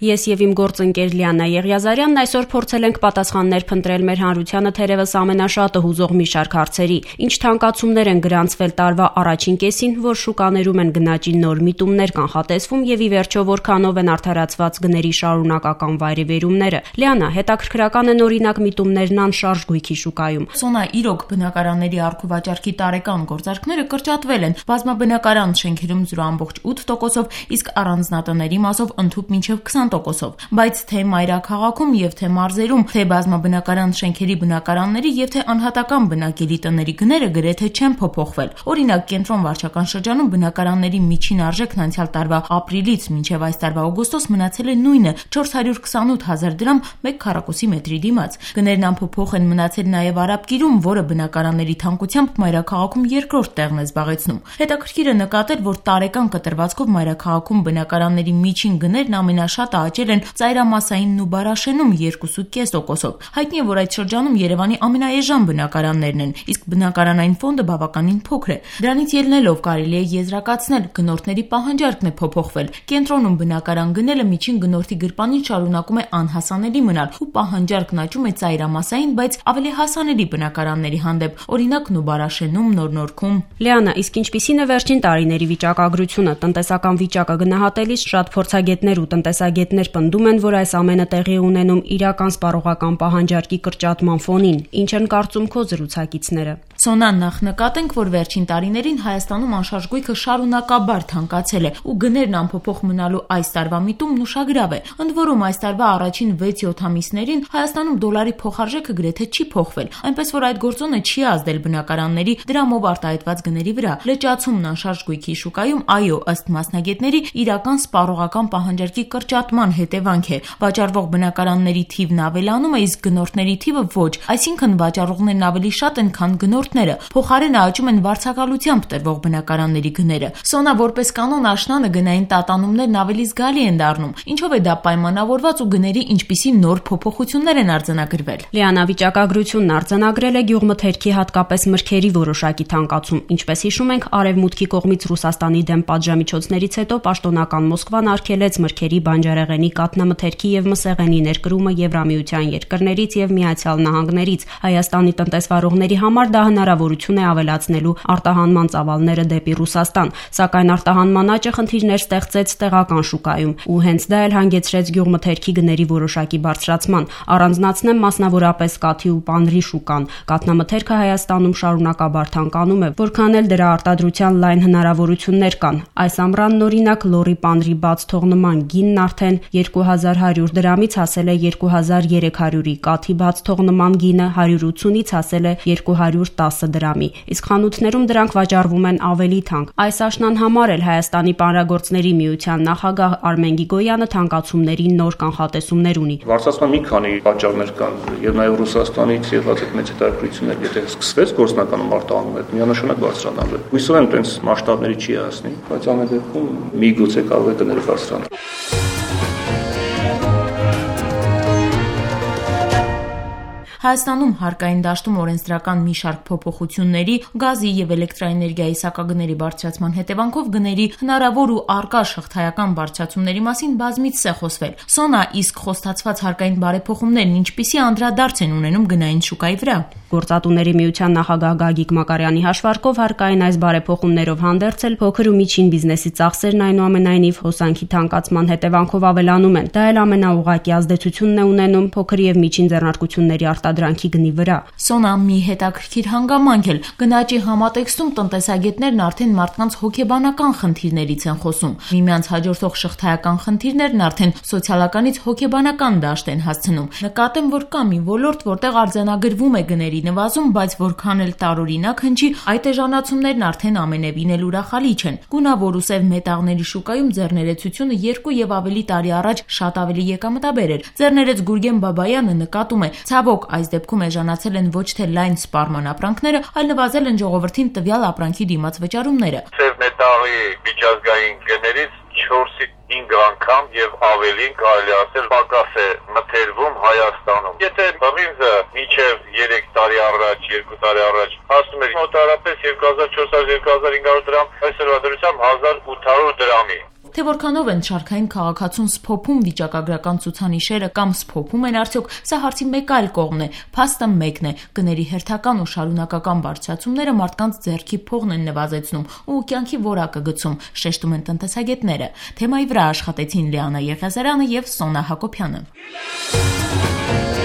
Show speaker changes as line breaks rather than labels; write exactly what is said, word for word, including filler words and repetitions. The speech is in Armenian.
Ես եւ իմ գործընկեր Լիանա Եղիազարյանն այսօր փորձել ենք պատասխաններ փնտրել մեր հանրությանը թերևս ամենաշատը հուզող մի շարք հարցերի. ինչ թանկացումներ են գրանցվել տարվա առաջին կեսին, որ շուկաներում են գնաճի նոր միտումներ կանխատեսվում եւ ի վերջո որքանով են արդարացված գների շարունակական վայրեվերումները։ Լիանա, հետաքրքրական են օրինակ միտումներն անշարժ գույքի շուկայում։
Սոնա, իրոք բնակարանների առքուվաճառքի տարեկան գործարքները կրճատվել են։ Բազմաբնակարան շենքերում զրո ամբողջ ութ տոկոսով, իսկ առանձնատների մասով ընդհուպ մինչև քսան տոկոսով։ Բայց թե մայրաքաղաքում եւ թե մարզերում, թե բազմաբնակարան շենքերի բնակարանների եւ թե անհատական բնակելի տների գները գրեթե չեն փոփոխվել։ Օրինակ, կենտրոն վարչական շրջանում բնակարանների միջին արժեքն անցյալ տարվա ապրիլից մինչև այս տարվա օգոստոս մնացել է նույնը՝ չորս հարյուր քսանութ հազար դրամ մեկ քառակուսի մետրի դիմաց։ Գներն անփոփոխ են մնացել նաեւ Արաբկիրում, որը բնակարանների թանկությամբ մայրաքաղաքում երկրորդ տեղն է զբաղեցնում։ Հետաքրքիր է նկատել, որ տարեկան կտրվածքով մայրաքաղաքում բնակարանների միջին գներն ամենաշատը աճել են ծայրամասայինն ու Բարաշենում երկու կես տոկոսով։ Հայտնի է, որ այդ շրջանում Երևանի ամենաէժան բնակարաններն են, իսկ բնակարանային ֆոնդը բավականին փոքր է։ Դրանից ելնելով կարելի է եզրակացնել, գնորդների պահանջարկն է փոփոխվել։ Կենտրոնում բնակարան գնելը միջին գնորդի գրպանին շարունակում է անհասանելի մնալ ու պահանջարկն աճում է ծայրամասային, բայց ավելի հասանելի բնակարանների հանդեպ, օրինակ Նուբարաշենում, Նոր-Նորքում։
Լիանա, իսկ ինչպիսին է վերջին տարիների վիճակագրությունը? Տնտեսական վիճակը գնահատելիս շատ փորձագետներ ու տնտեսագետներ պնդում են, որ այս ամենը տեղի է ունենում իրական սպառողական պահանջարկի կրճատման ֆոնին։ Ինչ են կարծում քո զրուցակիցները։
Սոնա, նախ նկատենք, որ վերջին տարիներին Հայաստանում անշարժ գույքը շարունակաբար թանկացել է ու գներն անփոփոխ մնալու այս տարվա միտումն ուշագրավ է։ Ընդ որում, այս տարվա առաջին վեց-յոթ ամիսներին Հայաստանում դոլարի փոխարժեքը գրեթե չի փոխվել, այնպես որ այդ գործոնը չի ազդել բնակարանների դրամով արտահայտված գների վրա։ Լճացումն անշարժ գույքի շուկայում, այո, ըստ մասնագետների, իրական սպառողական պահանջարկի կրճատման հետևանք է։ Վաճառվող բնակարանների թիվն ավելանում է, իսկ գնորդների թիվը ոչ, այսինքն վաճառողներն ավելի շատ են, քան գնորդները։ Փոխարենը աճում են վարձակալությամբ տրվող բնակարանների գները։ Սոնա, որպես կանոն, աշնանը գնային տատանումներն ավելի զգալի են դառնում։ Ինչով է դա պայմանավորված ու գների ինչպիսի նոր փոփոխություններ են արձանագրվել։
Լիանա, վիճակագրությունն արձանագրել է գյուղմթերքի, հատկապես մրգերի որոշակի թանկացում։ Ինչպես հիշում ենք, արևմուտքի կողմից Ռուսաստանի դեմ պատժամիջոցներից հետո պաշտոնական Մոսկվան արգելեց մրգերի, բանջարեղենի, կաթնամթերքի եւ մսեղենի ներկրումը Եվրամիության երկրներից եւ Միացյալ Նահանգներից։ Հայաստանի տնտեսվարողների համար դա հնարավորություն է ավելացնելու արտահանման ծավալները դեպի Ռուսաստան, սակայն արտահանման աճը խնդիրներ ստեղծեց տեղական շուկայում, ու հենց դա էլ հանգեցրեց գյուղմթերքի գների որոշակի բարձրացման։ Առանձնացնեմ մասնավորապես կաթի ու պանրի շուկան։ Կաթնամթերքը Հայաստանում շարունակաբար թանկանում է, որքան էլ դրա արտադրության լայն հնարավորություններ կան։ Այս ամռանն օրինակ լորի պանրի բաց թողնման գինն արդեն երկու հազար հարյուր դրամից հասել է երկու հազար երեք հարյուրի, կաթի բաց թողնման գինը հարյուր ութունից հասել է երկու հարյուր տասը դրամի, իսկ խանութներում դրանք վաճառվում են ավելի թանկ։ Այս աշնան համար էլ Հայաստանի պանրագործների միության նախագահ Արմեն Գիգոյանը թանկացումների նոր կանխատեսումներ ունի։
Բարձրացման մի քանի պատճառներ կան, եւ նաեւ Ռուսաստանից եղած այդ մեծ հետաքրքրություններ, եթե սկսվեց գործնականում արտահանում, այդ միանշանակ բարձրանալու է։ Հույսով եմ, տենց մասշտաբների չի հասնի, բայց ամեն դեպքում միգուցե կարող է գները բարձրանալ։
Հայաստանում հարկային դաշտում օրենսդրական մի շարք փոփոխությունների, գազի եւ էլեկտրաէներգիայի սակագների բարձրացման հետևանքով գների հնարավոր ու առկա շղթայական բարձրացումների մասին բազմիցս է խոսվել։ Սոնա, իսկ խոստացված հարկային բարեփոխումներն ինչպիսի անդրադարձ են ունենում գնային շուկայի վրա։
Գործատուների միության նախագահ Գագիկ Մակարյանի հաշվարկով հարկային այս բարեփոխումներով հանդերձ էլ փոքր ու միջին բիզնեսի ծախսերն այնուամենայնիվ հոսանքի թանկացման հետևանքով ավելանում են։ Դա էլ ամենաուղղակի ազդեցությունն է ունենում փոքր եւ միջին ձեռնարկությունների արտադրանքի գնի վրա։
Սոնա, մի հետաքրքիր հանգամանք էլ գնաճի համատեքստում տնտեսագետներն արդեն մարդկանց հոգեբանական խնդիրներից են խոսում։ Միմյանց հաջորդող շղթայական խնդիրներն արդեն սոցիալականից հոգեբանական դաշտ են հասցնում։ Նկատեմ, որ կա մի ոլորտ, որտեղ արձանագրվում է գների նվազում, բայց որքան էլ տարօրինակ հնչի, այդ էժանացումներն արդեն ամենևին էլ ուրախալի չեն։ Գունավոր ու սև մետաղների շուկայում ձեռներեցությունը երկու եւ ավելի տարի առաջ շատ ավելի եկամտաբեր էր։ Ձեռներեց Գուրգեն Բաբայանը նկատում է, ցավոք, այս դեպքում էժանացել են ոչ թե լայն սպառման ապրանքները, այլ նվազել են ժողովրդին տվյալ ապրանքի դիմաց վճարումները։
Սև մետաղի միջազգային գներից չորսից հինգ անգամ եւ ավելին կարելի ասել պակաս է մթերվում Հայաստանում։ Եթե բրինզը մինչեւ երեք տարի առաջ, երկու տարի առաջ հասնում էր մոտարապես երկու հազար չորս հարյուր - երկու հազար հինգ հարյուր դրամ, այսօրվա դրությամբ հազար ութ հարյուր դրամի։
Թե որքանով են շարքային քաղաքացուն սփոփում վիճակագրական ցուցանիշերը կամ սփոփում են արդյոք, սա հարցի մեկ այլ կողմն է։ Փաստը մեկն է՝ գների հերթական ու շարունակական բարձրացումները մարդկանց ձեռքի փողն են նվազեցնում ու կյանքի որակը գցում, շեշտում են տնտեսագետները։ Թեմայի վրա աշխատեցին Լիանա Եղիազարյանը եւ Սոնա Հակոբյանը։